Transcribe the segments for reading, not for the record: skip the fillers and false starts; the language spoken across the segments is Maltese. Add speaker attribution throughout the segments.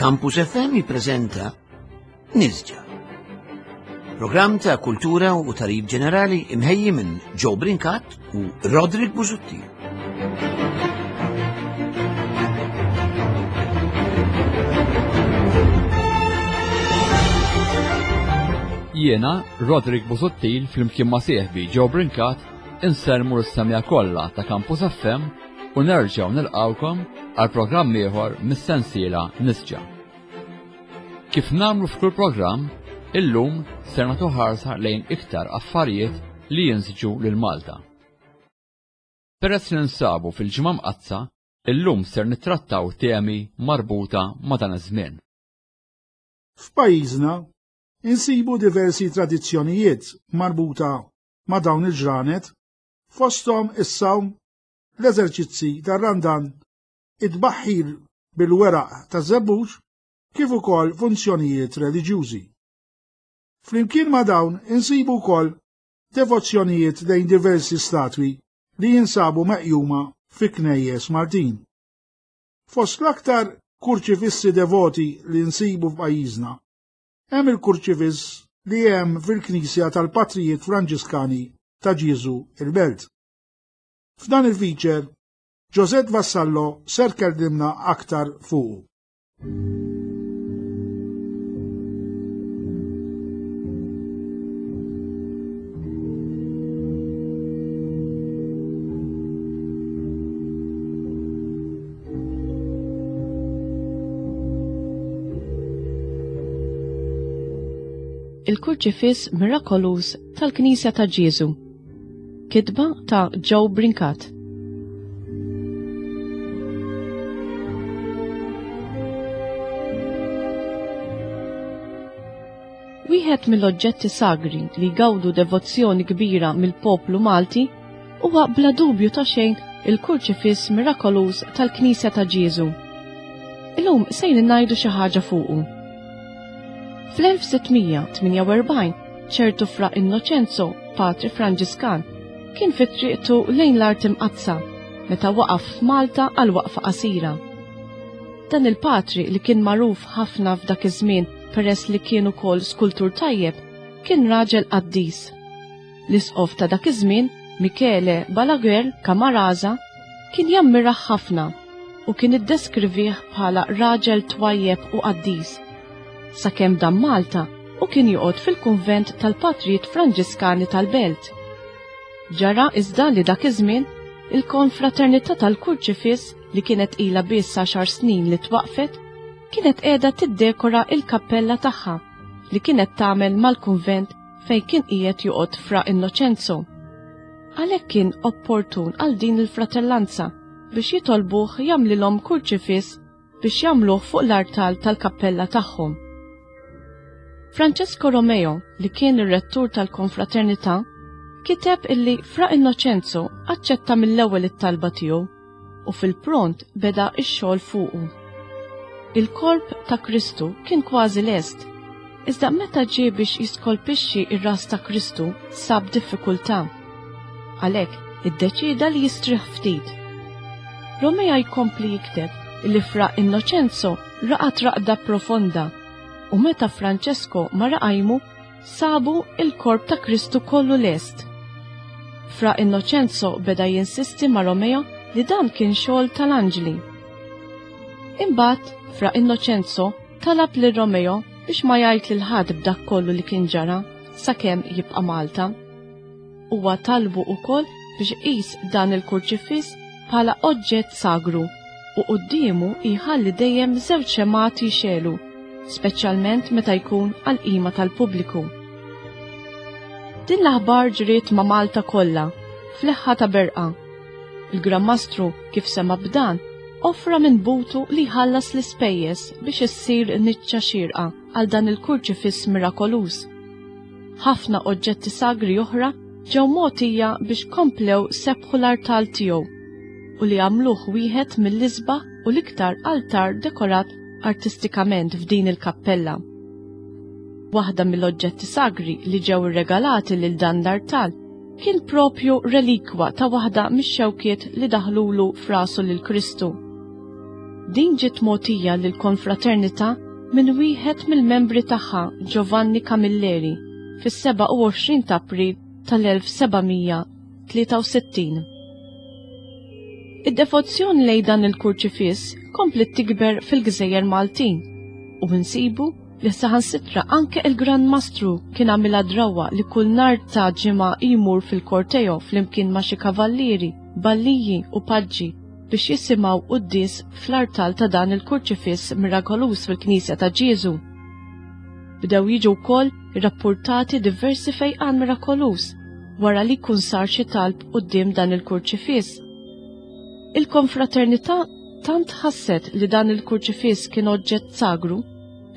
Speaker 1: Campus FM jippreżenta Nisġa. Programm ta' kultura u tarib ġenerali imħejji minn Joe Brincat u Roderick Busuttil.
Speaker 2: Jiena, Roderick Busuttil, flimkien ma' sieħbi Joe Brincat, insellmu l-semja kollha ta' Campus FM u nerġgħu nilqgħukom għal programm ieħor mis-sensiela Nisġa. Kif nagħmlu f'kull programm, illum ser nagħtu ħarsa lejn iktar affarijiet li jinsġu lil Malta. Peress li nsabu fil-Ġimgħa Mqaddsa, illum ser nittrattaw temi marbuta ma' dan iż-żmien.
Speaker 3: F'pajjiżna insibu diversi tradizzjonijiet marbuta ma' dawn il-ġranet fosthom is-sawm, l-eżerċizzi tar-Randan, it-tbaħħir bil-weraq taż-żebbuġ kif ukoll funzjonijiet reliġjużi. Flimkien ma' dawn insibu wkoll devozzjonijiet lejn diversi statwi li jinsabu meqjuma fi knejjes Maltin. Fost l-aktar kurċifissi devoti li nsibu f'pajjiżna hemm il-kurċifiss li hemm fil-Knisja tal-Patrijiet Franġiskani ta' Ġieżu il-Belt. F'dan il-feature, Josette Vassallo ser tkellimna aktar fuqu.
Speaker 4: Il-Kurċifiss Mirakoluż tal-Knisja ta' Ġieżu. Kitba ta' Joe Brincat. Wieħed mill-oġġetti sagri li jgawdu devozzjoni kbira mill-poplu Malti huwa bla dubju ta' xejn il-Kurċifiss Mirakoluż tal-Knisja ta' Ġieżu. Illum sejrin ngħidu xi ħaġa fuqu. Fl-1648 ċertu Fra Innoċenzo, patri Franġiskan, kien fi triqtu lejn l-Art Imqaddsa meta waqaf f'Malta għal waqfa qasira. Dan il-patri li kien magħruf ħafna f'dak iż-żmien peress li kien ukoll skultur tajjeb, kien raġel qaddis. L-isqof ta' dak iż-żmien, Michele Balaguer Camarasa, kien jammirah ħafna u kien iddeskrivih bħala raġel twajjeb u qaddis. Sakemm dam Malta u kien joqgħod fil-kunvent tal-Patrijiet Franġiskani tal-Belt. Ġara iżda li dak iż-żmien il-Konfraternità tal-Kurċifiss li kienet ilha biss għaxar snin li twaqqfet, kienet qiegħda tiddekora il-kappella tagħha li kienet tagħmel mal-kunvent fejn kien qiegħed joqgħod Fra Innoċenzo. Għalhekk kien opportun għal din il-fratellanza biex jitolbuh jagħmlilhom kurċifiss biex jagħmluh fuq l-artal tal-kappella tagħhom. Francesco Romeo, li kien ir-rettur tal-konfraternità, kiteb illi Fra Innoċenzo aċċetta mill-ewwel it-talba tiegħu u fil-pront beda x-xogħol fuqu. Il-korp ta' Kristu kien kważi lest, iżda meta ġie biex jiskolpixxi r-ras ta' Kristu sab diffikultà. Għalhekk iddeċieda li jistrieħ ftit. Romea jkompli jikteb illi Fra Innoċenzo raqad raqda profonda u meta Francesco mar iqajmu sabu il-korp ta' Kristu kollu lest. Fra Innoċenzo beda jinsisti ma' Romeo li dan kien xogħol tal-anġli. Imbagħad Fra Innoċenzo talab lil Romeo biex ma jgħid lil ħadd b'dak kollu li kien ġara sakemm jibqa' Malta. Huwa talbu wkoll biex iqis dan il-kurċifiss bħala oġġett sagru u quddiemu jħalli dejjem żewġ xemgħat jixegħlu, speċjalment meta jkun għall-qima tal-pubbliku. Din l-aħbar ġriet ma' Malta kollha, f'leħħa ta' berqa. Il-Gran Mastru, kif sema' b'dan, offra minn butu li jħallas l-ispejjeż biex issir niċċa xierqa għal dan il-kurċifiss mirakoluż. Ħafna oġġetti sagri oħra ġew mogħtija biex komplew sebħu l-artal tiegħu u li għamluh wieħed mill-isbaħ u l-iktar altar dekorat artistikament f'din il-kappella. Waħda mill-oġġetti sagri li ġew irregalati lil dan l-artal kien propju relikwa ta' waħda mix-xewkiet li daħlulu f'rasu lil Kristu. Din ġiet mogħtija lill-Konfraternità minn wieħed mill-membri tagħha Giovanni Camilleri fis-27 ta' April tal-1763. Id-devozzjoni lejn dan il-kurċifiss kompliet tikber fil-gżejjer Maltin u nsibu li saħansitra anke il-Gran Mastru kien għamilha drawwa li kull nhar ta' Ġimgħa jmur fil-korteo flimkien ma' xi kavallieri, balliji u paġġi biex jisimgħu quddies fl-artal ta' dan il-kurċifiss mirakoluż fil-Knisja ta' Ġieżu. Bdew jiġu wkoll irrappurtati diversi fejqan mirakoluż wara li jkun sar xi talb quddiem dan il-kurċifiss. Il-konfraternità tant ħasset li dan il-kurċifiss kien oġġett sagru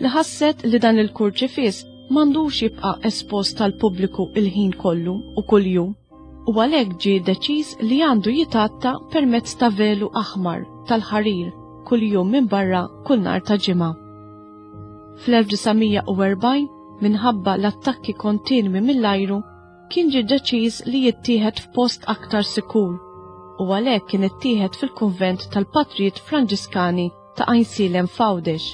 Speaker 4: li ħasset li dan il-kurċifiss m'għandux jibqa' espost għall-pubbliku il-ħin kollu u kuljum u għalhekk ġie deċiż li għandu jitgħatta permezz ta' velu aħmar tal-ħarir kuljum minbarra kull nhar ta' Ġimgħa. Fl-1940, minħabba l-attakki kontinwi mill-ajru, kien ġie deċiż li jittieħed f'post aktar sikur u għalhekk kien ittieħed fil-kunvent tal-Patrijiet Franġiskani ta' Għajnsielem f'Għawdex.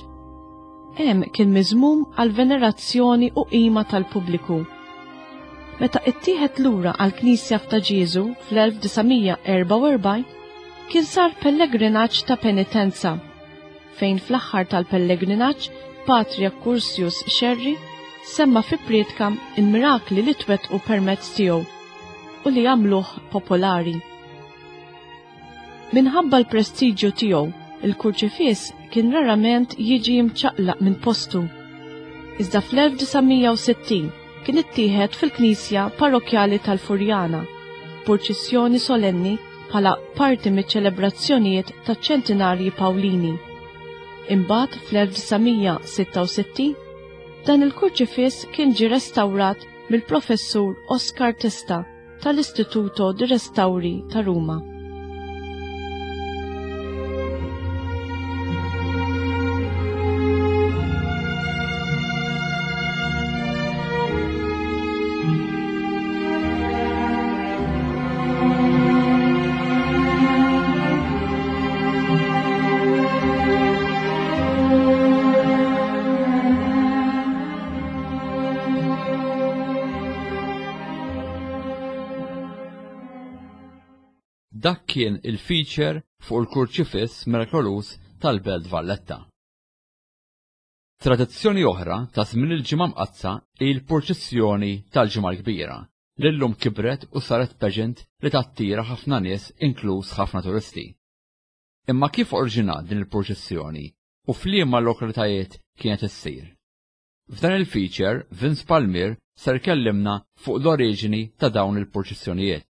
Speaker 4: Hemm kien miżmum għall-venerazzjoni u qima tal-pubbliku. Meta ittieħed lura għall-knisja f'Ta' Ġieżu fl-1944, kien sar pellegrinaġġ ta' penitenza, fejn fl-aħħar tal-pellegrinaġġ Patri Accursius Scerri semma fi prietka il-mirakli li twettqu permezz tiegħu u li għamluh popolari. Minħabba l-prestiġju tiegħu, il-kurċifiss kien rarament jiġi mċaqlaq minn postu. Iżda fl-1960 kien ittieħed fil-knisja parrokkjali tal-Furjana, purċissjoni solenni bħala parti miċ-ċelebrazzjonijiet taċ-ċentinarji Pawlini. Imbagħad fl-1966 dan il-kurċifiss kien ġie restawrat mill-Professur Oscar Testa tal-Istituto di Restauri ta' Ruma.
Speaker 2: Dak kien il-feature fuq il-kurċifiss mirakoluż tal-Belt Valletta. Tradizzjoni oħra ta' żmien il-Ġimgħa Mqaddsa hi l-purċissjoni tal-Ġimgħa l-Kbira, li llum kibret u saret pageant li tattira ħafna nies inkluż ħafna turisti. Imma kif oriġinat din il-purċissjoni u f'liema lokalitajiet kienet issir? F'dan il-feature, Vince Palmier ser ikellimna fuq l-oriġini ta' dawn il-purċissjonijiet.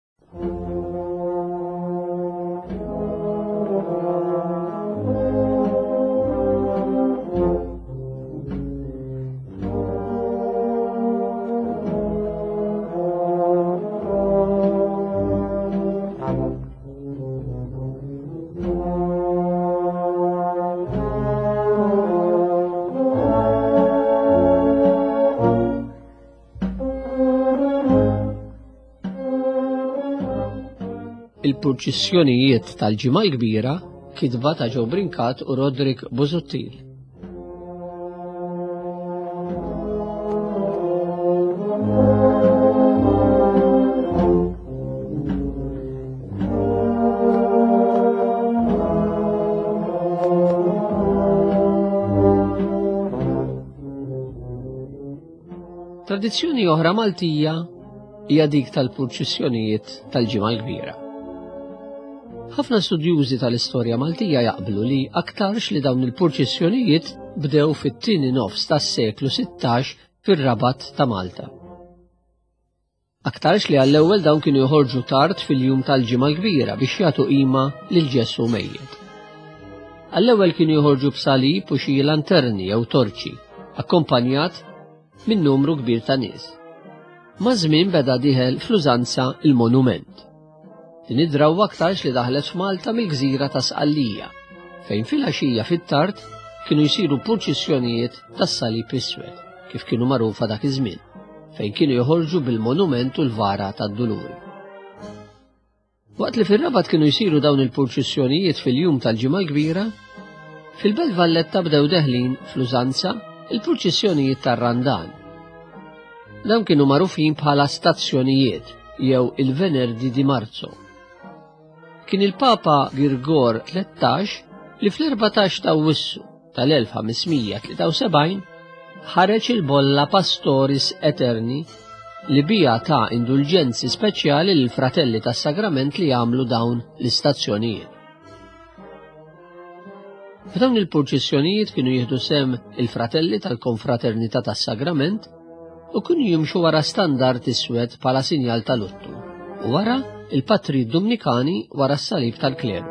Speaker 5: Il-purċissjonijiet tal-Ġimgħa l-Kbira kitba ta' Joe Brincat u Roderick Busuttil. Tradizzjoni oħra Maltija hija dik tal-purċissjonijiet tal-Ġimgħa l-Kbira. Ħafna studjużi tal-istorja Maltija jaqblu li aktarx li dawn il-purċissjonijiet bdew fit-tieni nofs tas-seklu 16 fir-Rabat ta' Malta. Aktarx li għall-ewwel dawn kienu joħorġu tard fil-jum tal-Ġimgħa l-Kbira biex jagħtu qima lil Ġesù mejjet. Għall-ewwel kienu joħorġu b'salib u xi lanterni jew torċi, akkompanjat minn numru kbir ta' nies. Maż-żmien beda dieħel fl-użanza il-monument. Din id-drawwa aktarx li daħlet f'Malta mill-gżira ta' Sqallija, fejn filgħaxija fit-tard kienu jsiru purċissjonijiet tas-Salib Iswed, kif kienu magħrufa dak iż-żmien, fejn kienu joħorġu bil-monument u l-vara tad-Duluri. Waqt li fir-Rabat kienu jsiru dawn il-purċissjonijiet fil-jum tal-Ġimgħa l-Kbira, Fil-Belt Valletta bdew deħlin fl-użanza il-purċissjonijiet tar-Randan. Dawn kienu magħrufin bħala stazzjonijiet jew il-Venerdi di Marzo. Kien il-Papa Girgor 13 li fl-14 ta' Awwissu tal-1573 ħareġ il-bolla Pastoris Eterni li bija ta' indulġenzi speċjali lil fratelli tas-sagrament li jagħmlu dawn l-istazzjonijiet. F'dawn il-purċissjonijiet kienu jieħdu sehem il-fratelli tal-Konfraternità tas-Sagrament u kienu jimxu wara standard iswed bħala sinjal ta' luttu u wara il-patri Dumnikani wara s-salib tal-kleru.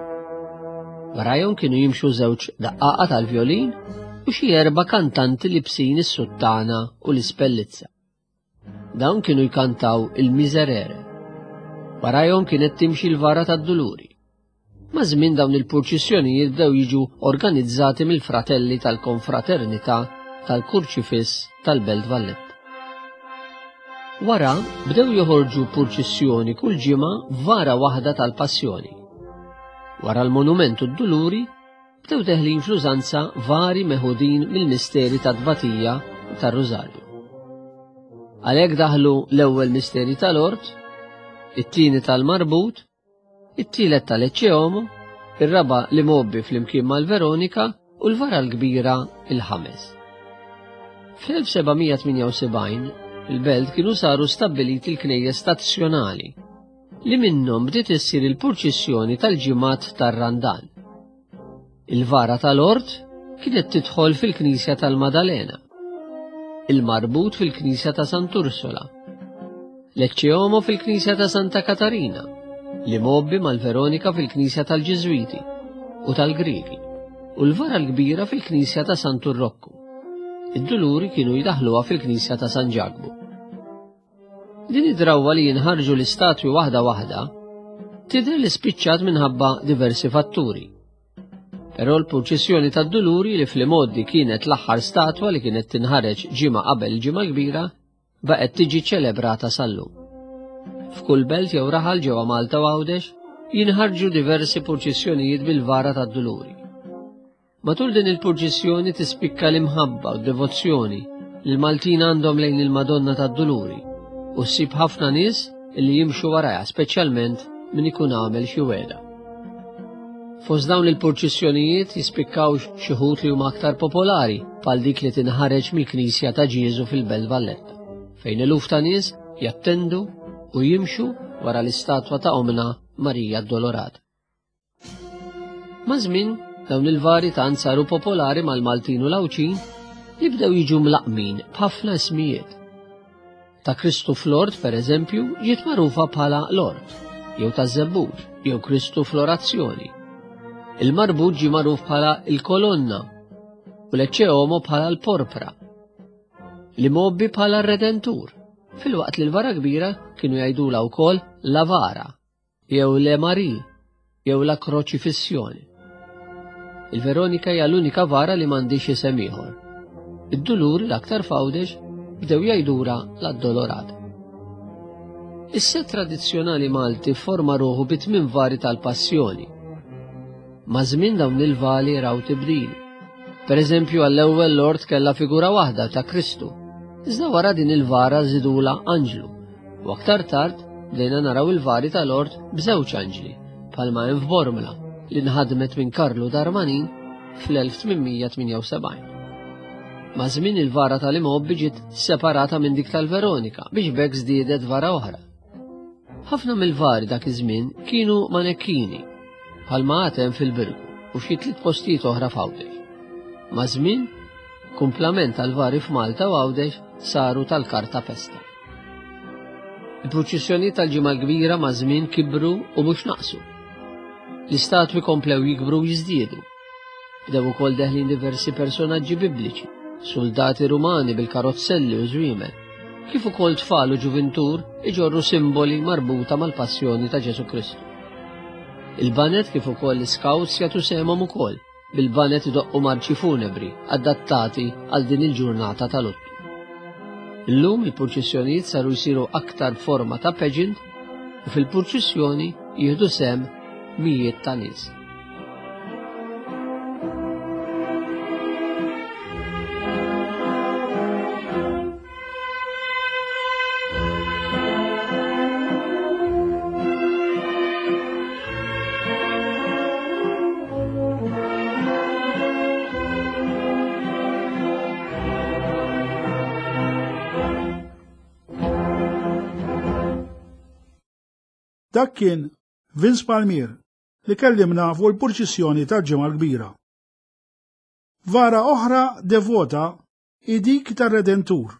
Speaker 5: Warajhom kienu jimxu żewġ daqqaqa tal-vjolin u xi erba' kantanti libsin is-suttana u l-ispellizza. Dawn kienu jkantaw il-Miserere. Warajhom kienet timxi l-vara tad-Duluri. Maż-żmien dawn il-purċissjonijiet bdew jiġu organizzati mill-fratelli tal-Konfraternità tal-Kurċifiss tal-Belt Valletta. Wara bdew joħorġu purċissjoni kull ġimgħa vara waħda tal-Passjoni. Wara l-Monument u d-Duluri bdew deħlin fl-użanza vari meħudin mill-misteri tat-tbatija u tar-Rużarju. Għalhekk daħlu l-ewwel misteri tal-Ort, it-tieni tal-Marbut, it-tielet tal-Ecce Homo, ir-raba' li mgħobbi flimkien mal-Veronika u l-vara l-kbira il-ħames. Fl-1778 il-belt kienu saru stabbiliti l-knejjes stazzjonali li minnhom bdiet issir il-purċissjoni tal-ġimgħat tar-Randan. Il-vara tal-Ort kienet tidħol fil-Knisja tal-Madalena, il-Marbut fil-Knisja ta' Sant'Ursola, l-Ecce Homo fil-Knisja ta' Santa Katarina, l-Imgħobbi mal-Veronika fil-Knisja tal-Ġiżwiti u tal-Griegi, u l-Vara l-Kbira fil-Knisja ta' Santu Rokku. Id-Duluri kienu jdaħħluha fil-Knisja ta' San Ġakbu. Din id-drawwa li jinħarġu l-istatwi waħda waħda tidher li spiċċat minħabba diversi fatturi. Però l-purċissjoni tad-Duluri li fl-imgħoddi kienet l-aħħar statwa li kienet tinħareġ ġimgħa qabel il-Ġimgħa l-Kbira baqgħet tiġi ċelebrata sal-lum. F'kull belt jew raħal ġewwa Malta u Għawdex jinħarġu diversi purċissjonijiet bil-vara tad-Duluri. Matul din il-purċissjoni tispikka l-imħabba u d-devozzjoni li l-Maltin għandhom lejn il-Madonna tad-Duluri u ssib ħafna nies li jimxu warajha speċjalment min ikun għamel xi wegħda. Fost dawn il-purċissjonijiet jispikkaw xi wħud li huma aktar popolari bħal dik li tinħareġ mill-Knisja ta' Ġieżu fil-Belt Valletta, fejn eluf ta' nies jattendu u jimxu wara l-istatwa ta' Omna Marija Addolorata. Maż-żmien, dawn il-vari tant saru popolari mal-Maltin u l-Għawdxin li bdew jiġu mlaqqmin b'ħafna ismijiet. Ta' Kristu fl-Ort, per eżempju, ġiet magħrufa bħala l-Ort, jew taż-Żebbuġ, jew Kristu fl-Orazzjoni. Il-Marbut ġie magħruf bħala l-Kolonna u l-Ecce Homo bħala l-Porpra. L-Imgħobbi bħala r-Redentur, filwaqt li l-Vara Kbira kienu jgħidulha wkoll la Vara. jew Le Marie jew La Kroċifissjoni. Il-Veronika hija l-unika vara li m'għandix isem ieħor. Id-duluri l-aktar f'Għawdex bdew jgħidura l-Addolorata. Is-set tradizzjonali Malti forma ruħu bi tmien vari tal-Passjoni. Maż-żmien dawn il-vali raw tibdil. Per eżempju għall-ewwel l-ort kellha figura waħda ta' Kristu, iżda wara din il-vara żidula anġlu U aktar tard bdejna naraw il-vari tal-ort b'żewġ anġli, bħalma hemm f'Bormla li nħadmet minn Karlu Darmanin fl-1878. Maż-żmien il-vara tal-imgħobbi ġiet separata minn dik tal-Veronika biex b'hekk żdiedet vara oħra. Ħafna mill-vari dak iż-żmien kienu manekkini, bħalma għad hemm fil-Birgu u f'xi tliet postijiet oħra f'Għawdex. Maż-żmien, kumplament tal-vari f'Malta u Għawdex saru tal-karta pesta. Il-purċissjonijiet tal-Ġimgħa l-Kbira maż-żmien kibru u mhux naqsu. L-istatwi komplew jikbru u jiżdiedu. Bdew ukoll deħlin diversi personaġġi bibliċi, suldati Rumani bil-karozzelli u żwiemel, kif ukoll tfal u ġuvintur iġorru simboli marbuta mal-passjoni ta' Ġesù Kristu. Il-baned kif ukoll l-iskawts jagħtu sehemhom ukoll bil-baned idoqqu marċi funebri adattati għal din il-ġurnata ta' luttu. Illum il-purċissjonijiet saru jsiru aktar b'forma ta' pageant u fil-purċissjoni jieħdu sehem mijiet ta' nies.
Speaker 3: Dak kien Vince Palmier li kellimna fuq il-purċissjoni tal-Ġimgħa l-Kbira. Vara oħra devota hi dik tar-Redentur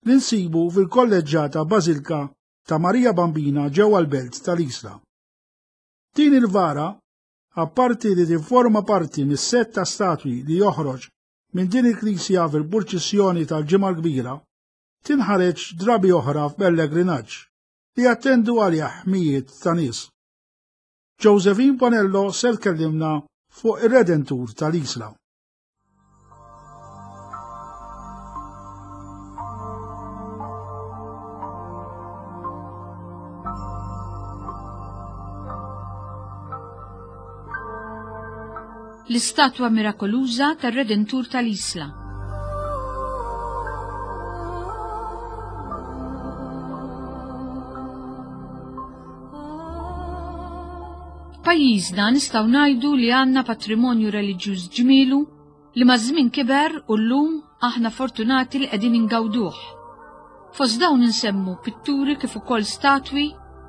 Speaker 3: li nsibu fil-Kolleġġata Bażilka ta' Marija Bambina ġewwa l-belt tal-Isla. Din il-vara, apparti li tifforma parti mis-sett ta' statwi li joħroġ minn din il-knisja fil-purċissjoni tal-Ġimgħa l-Kbira, tinħareġ drabi oħra f'pellegrinaġġ li jattendu għalih mijiet ta' nies. Josephine Bonello ser tkellimna fuq ir-Redentur tal-Isla.
Speaker 6: L-istatwa mirakoluża tar-Redentur tal-Isla. F'pajjiżna nistgħu ngħidu li għandna patrimonju reliġjuż ġmielu li maż-żmien kiber u llum aħna fortunati li qegħdin ingawduh. Fost dawn insemmu pitturi kif ukoll statwi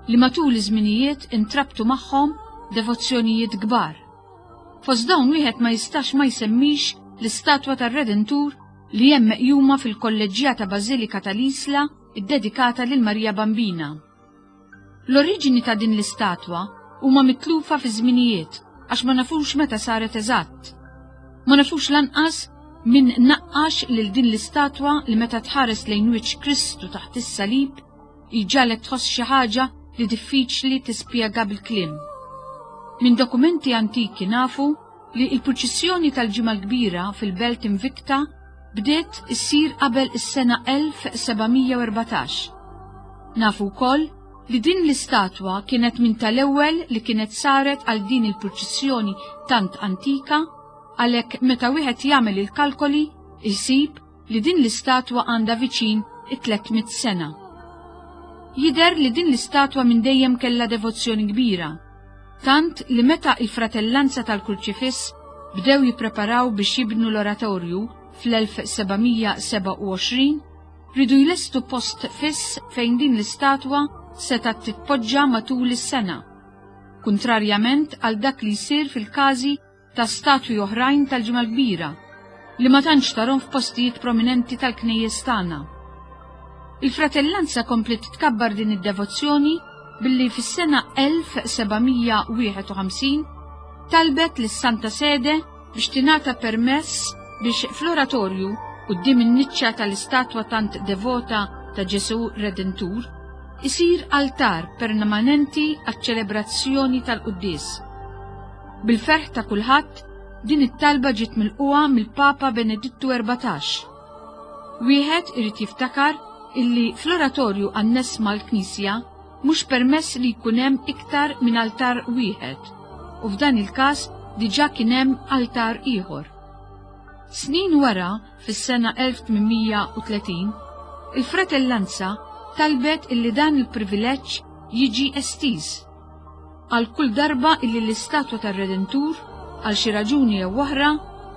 Speaker 6: li matul iż-żminijiet intrabtu magħhom devozzjonijiet kbar. Fost dawn wieħed ma jistax ma jsemmix l-istatwa tar-Redentur li hemm meqjuma fil-Kolleġġjata Bażilika tal-Isla ddedikata lil Marija Bambina. L-oriġini ta' din l-istatwa huma mitlufa fiż-żminijiet għax ma nafux meta saret eżatt. Ma nafux lanqas min naqqax lil din l-istatwa li meta tħares lejn wiċċ Kristu taħt is-salib jġagħlek tħoss xi ħaġa li diffiċli tispjega bil-kliem. Minn dokumenti antiki nafu li l-purċissjoni tal-Ġimgħa l-Kbira fil-belt Invicta bdiet issir qabel is-sena 1714. Nafu wkoll li din l-istatwa kienet minn tal-ewwel li kienet saret għal din il-purċissjoni tant antika, għalhekk meta wieħed jagħmel il-kalkoli jsib li din l-istatwa għandha viċin it-300 sena. Jidher li din l-istatwa minn dejjem kellha devozzjoni kbira, tant li meta il-Fratellanza tal-Kurċifiss bdew jippreparaw biex jibnu l-oratorju fl-1727, riedu jlestu post fiss fejn din l-istatwa setgħet titpoġġa matul is-sena, kuntrarjament għal dak li jsir fil-każi ta' statwi oħrajn tal-Ġimgħa l-Kbira li ma tantx tarhom f'postijiet prominenti tal-knejjes tagħna. Il-fratellanza kompliet tkabbar din id-devozzjoni billi fis-sena 1751 talbet lis-Santa Sede biex tingħata permess biex fl-oratorju quddiem in-niċċa tal-istatwa tant devota ta' Ġesù Redentur isir altar permanenti għaċ-ċelebrazzjoni tal-quddies. Bil-ferħ ta' kulħadd, din it-talba ġiet milqugħa mill-Papa Benedittu 14. Wieħed irid jiftakar illi fl-oratorju anness mal-knisja mhux permess li jkun hemm iktar minn altar wieħed u f'dan il-każ diġà kien hemm altar ieħor. Snin wara, fis-sena 1830, il-fratellanza talbet illi dan il-privileġġ jiġi estiż għal kull darba illi l-istatwa tar-Redentur, għal xi raġuni jew oħra,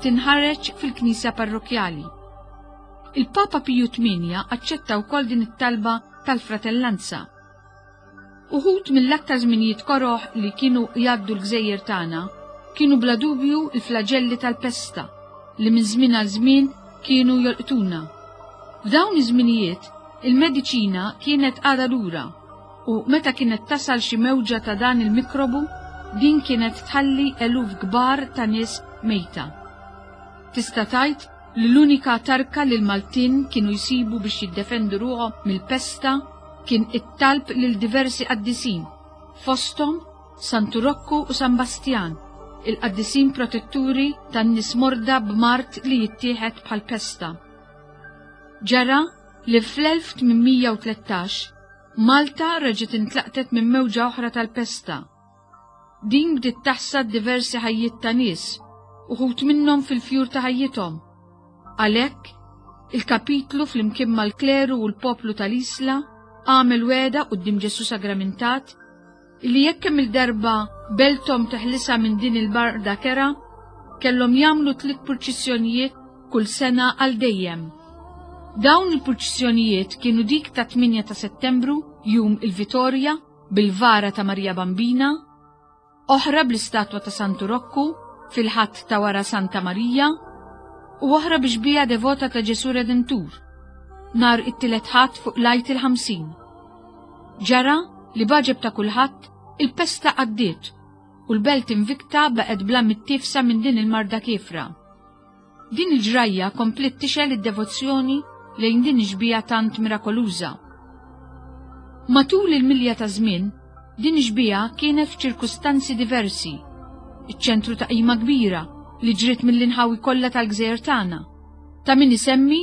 Speaker 6: tinħareġ fil-knisja parrokkjali. Il-Papa Piju Tmienja aċċetta wkoll din it-talba tal-fratellanza. Uħud mill-aktar żminijiet koroh li kienu jgħaddu l-gżejjer tagħna kienu bla dubju l-flaġelli tal-pesta li minn żmien għal żmien kienu jolqtuna. F'dawn iż-żminijiet il-mediċina kienet għadha lura u meta kienet tasal xi mewġa ta' dan il-mikrobu, din kienet tħalli eluf kbar ta' nies mejta. Tista' tgħid li l-unika tarka li l-Maltin kienu jsibu biex jiddefendu ruħhom mill-pesta kien it-talb lil diversi qaddisin, fosthom Santu Rokku u San Bastjan, il-qaddisin protetturi tan-nies morda b'mard li jittieħed bħall-pesta. Ġara li fl-1813 Malta reġgħet intlaqtet minn mewġa oħra tal-pesta. Din bdiet taħsad diversi ħajjiet ta' nies, uħud minnhom fil-fjur ta' ħajjithom. Għalhekk, il-kapitlu flimkien mal-kleru u l-poplu tal-Isla għamel wegħda quddiem Ġesù Sagramentat li jekk kemm il-darba belthom teħlisha minn din il-barda kerha, kellhom jagħmlu tliet purċissjonijiet kull sena għal dejjem. Dawn il-purċissjonijiet kienu dik ta' 8 ta' Settembru, jum il-Vitorja, bil-vara ta' Marija Bambina, oħra bl-istatwa ta' Santu Rokku fil-Ħadd ta' wara Santa Marija, u oħra bi xbieha devota ta' Ġesù Redentur, nhar it-tielet Ħadd fuq l-Għid il-50. Ġara li b'għaġeb ta' kulħadd il-pesta għaddiet u l-belt Invicta baqgħet bla mittiefsa minn din il-marda kiefra. Din il-ġrajja kompliet tixgħel id-devozzjoni lejn din ix-xbieha tant mirakoluża. Matul il-milja taż-żmien, din ix-xbieha kienet f'ċirkustanzi diversi, iċ-ċentru ta' qima kbira li ġriet mill-inħawi kollha tal-gżejjer tagħna. Ta' min isemmi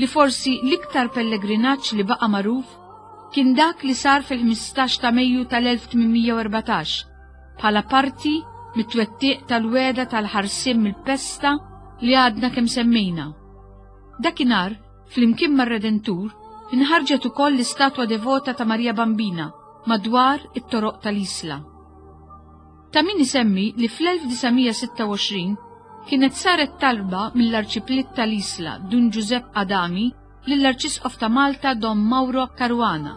Speaker 6: li forsi l-iktar pellegrinaġġ li baqa' magħruf kien dak li sar fil-15 ta' Mejju tal-1814 bħala parti mit-twettiq tal-wegħda tal-ħarsien mill-pesta li għadna kemm semmejna. Dakinhar, flimkien mar-Redentur, inħarġet ukoll l-istatwa devota ta' Marija Bambina madwar it-toroq tal-Isla. Ta' min isemmi li fl-1926 kienet saret talba mill-Arċipriet tal-Isla Dun Ġużepp Adami lill-Arċisqof ta' Malta Dom Mauro Caruana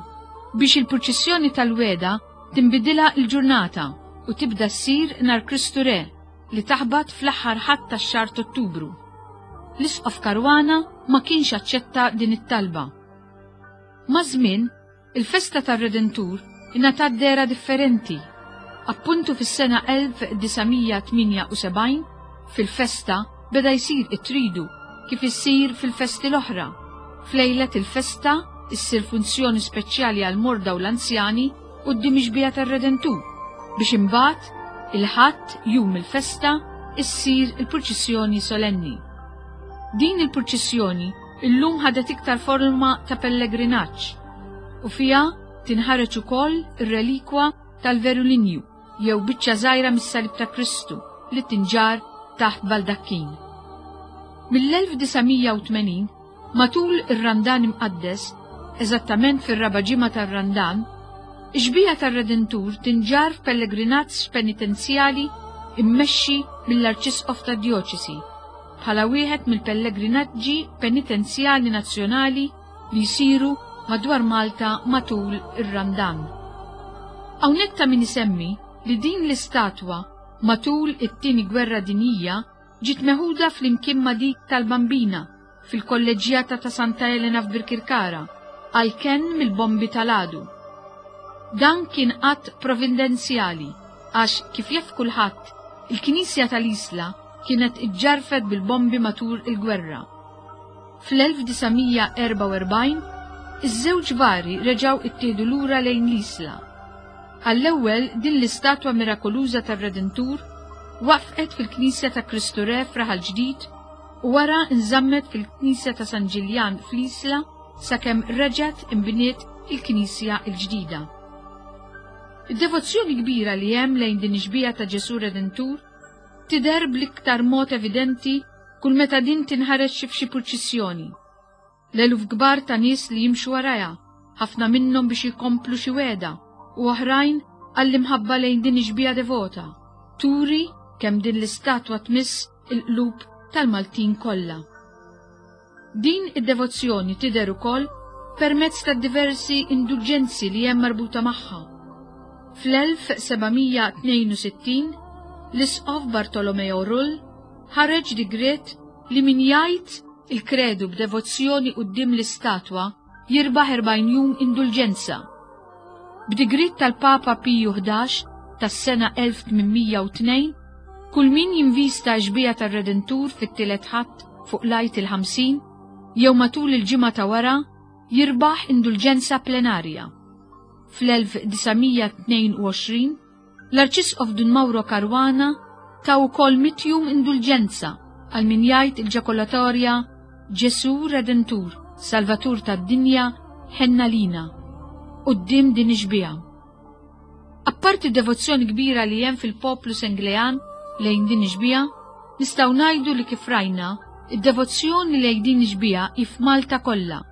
Speaker 6: biex il-purċissjoni tal-wegħda tinbidilha l-ġurnata u tibda ssir nhar Kristu Re li taħbat fl-aħħar Ħadd tax-xahar t'Ottubru. L-Isqof Caruana ma kienx aċċetta din it-talba. Maż-żmien, Il-festa tar-Redentur ingħatat dehra differenti. Appuntu fis-sena 1978, fil-festa beda jsir it-tridu kif issir fil-festi l-oħra. F'lejlet il-festa issir funzjoni speċjali għall-morda u l-anzjani quddiem ix-xbieha tar-Redentur biex imbagħad il-Ħadd, jum il-festa, issir il-purċissjoni solenni. Din il-purċissjoni illum ħadet iktar forma ta' pellegrinaġġ u fiha tinħareġ ukoll ir-relikwa tal-Verulinju jew biċċa żgħira mis-Salib ta' Kristu li tinġarr taħt baldakkin. Mill-1980, matul ir-Randan Imqaddes, eżattament fir-raba' ġimgħa tar-Randan, ix-xbieha tar-Redentur tinġarr f'pellegrinaġġ penitenzjali mmexxi mill-Arċisqof tad-Djoċesi bħala wieħed mill-pellegrinaġġi penitenzjali nazzjonali li jsiru madwar Malta matul ir-Randan. Hawnhekk ta' min isemmi li din l-istatwa matul it-Tieni Gwerra Dinjija ġiet meħuda flimkien ma' dik tal-Bambina fil-Kolleġġjata ta' Santa Elena f'Birkirkara għall-kenn mill-bombi tal-għadu. Dan kien att provindenzjali għax, kif jaf kulħadd, il-Knisja tal-Isla kienet iġġarrfet bil-bombi matul il-gwerra. Fl-1944, iż-żewġ vari reġgħu ittieħdu lura lejn l-Isla. Għall-ewwel din l-istatwa mirakoluża tar-Redentur waqfqet fil-Knisja ta' Kristu Re f'Raħal Ġdid u wara nżammet fil-Knisja ta' San Ġiljan fl-Isla sakemm reġgħet inbniet il-knisja l-ġdida. Id-devozzjoni kbira li hemm lejn din ix-xbieha ta' Ġesù Redentur tidher bl-iktar mod evidenti kull meta din tinħareġ f'xi purċissjoni. L-eluf kbar ta' nies li jimxu warajha, ħafna minnhom biex jkomplu xi wegħda u oħrajn għall-imħabba lejn din ix-xbieha devota, turi kemm din l-istatwa tmiss il-qlub tal-Maltin kollha. Din id-devozzjoni tidher ukoll permezz tad-diversi indulġenzi li hemm marbuta magħha. Fl-1762, l-Isqof Bartolomeo Rull ħareġ digriet li min jgħid il-Kredu b'devozzjoni quddiem l-istatwa jirbaħ 40 jum indulġenza. B'digriet tal-Papa Piju 11 tas-sena 1802, kull min jinvista x-xbieha tar-Redentur fit-tielet Ħadd fuq l-Għid il-50 jew matul il-ġimgħa ta' wara jirbaħ indulġenza plenarja. Fl-1922, l-Arċisqof Dun Mauro Caruana ta wkoll mitjum indulġenza għal min jgħid il-ġakolatorja Ġesù Redentur, Salvatur tad-dinja, ħenna lina, quddiem din ix-xbieha. Apparti d-devozzjoni kbira li hemm fil-poplu Senglean lejn din ix-xbieha, nistgħu ngħidu li kif rajna, id-devozzjoni lejn din ix-xbieha hi f'Malta kollha.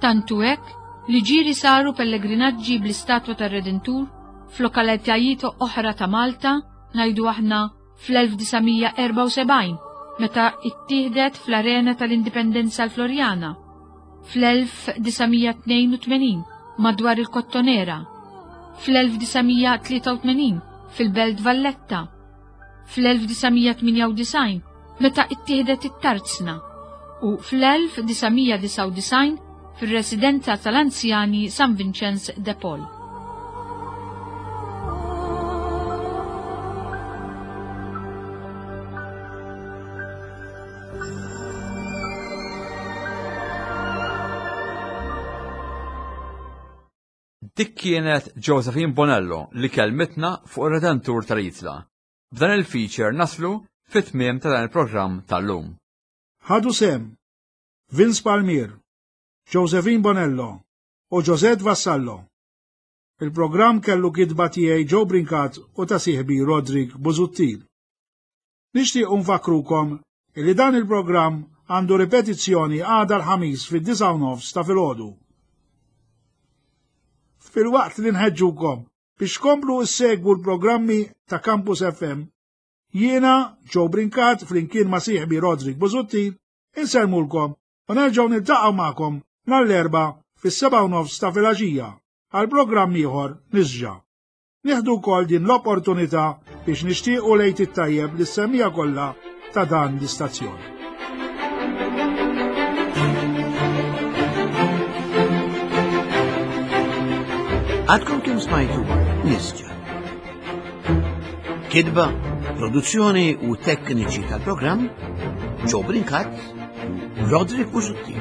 Speaker 6: Tant hu hekk li ġieli saru pellegrinaġġi bl-istatwa tar-Redentur f'lokalitajiet oħra ta' Malta, ngħidu aħna fl-1974 meta ittieħdet fl-Arena tal-Indipendenza l-Floriana, fl-1982 madwar il-Kottonera, Fl-1983 fil-Belt Valletta, fl-1998 meta ittieħdet it-Tarzna u fl-1999 fir-residenza tal-anzjani San Vincenz de Paul.
Speaker 2: Dik kienet Josephine Bonello li kellmitna fuq ir-Redentur tal-Isla. B'dan il-feature naslu fit-tmiem ta' dan il-programm tal-lum.
Speaker 3: Ħadu sehem Vince Palmier, Josephine Bonello u Josette Vassallo. Il-programm kellu kitba tiegħi Joe Brincat u ta' sieħbi Roderick Busuttil. Nixtiequ nfakkrukom illi dan il-programm għandu ripetizzjoni għada l-Ħamis fid-9:30 ta' filgħodu. Filwaqt li nħeġġukom biex tkomplu issegwu l-programmi ta' Campus FM, jiena Joe Brincat flimkien ma' sieħbi Roderick Busuttil insellmulkom u nerġgħu niltaqgħu magħkom nhar l-Erbgħa fis-7:30 ta' filgħaxija għal programm ieħor Nisġa. Nieħdu wkoll din l-opportunità biex nixtiequ l-Għid it-tajjeb lis-semmiegħa kollha ta' dan l-istazzjon.
Speaker 1: Għadkom kemm smajtu Nisġa. Kidba, produzzjoni u tekniċi tal-programm Joe Brincat u Roderick Busuttil.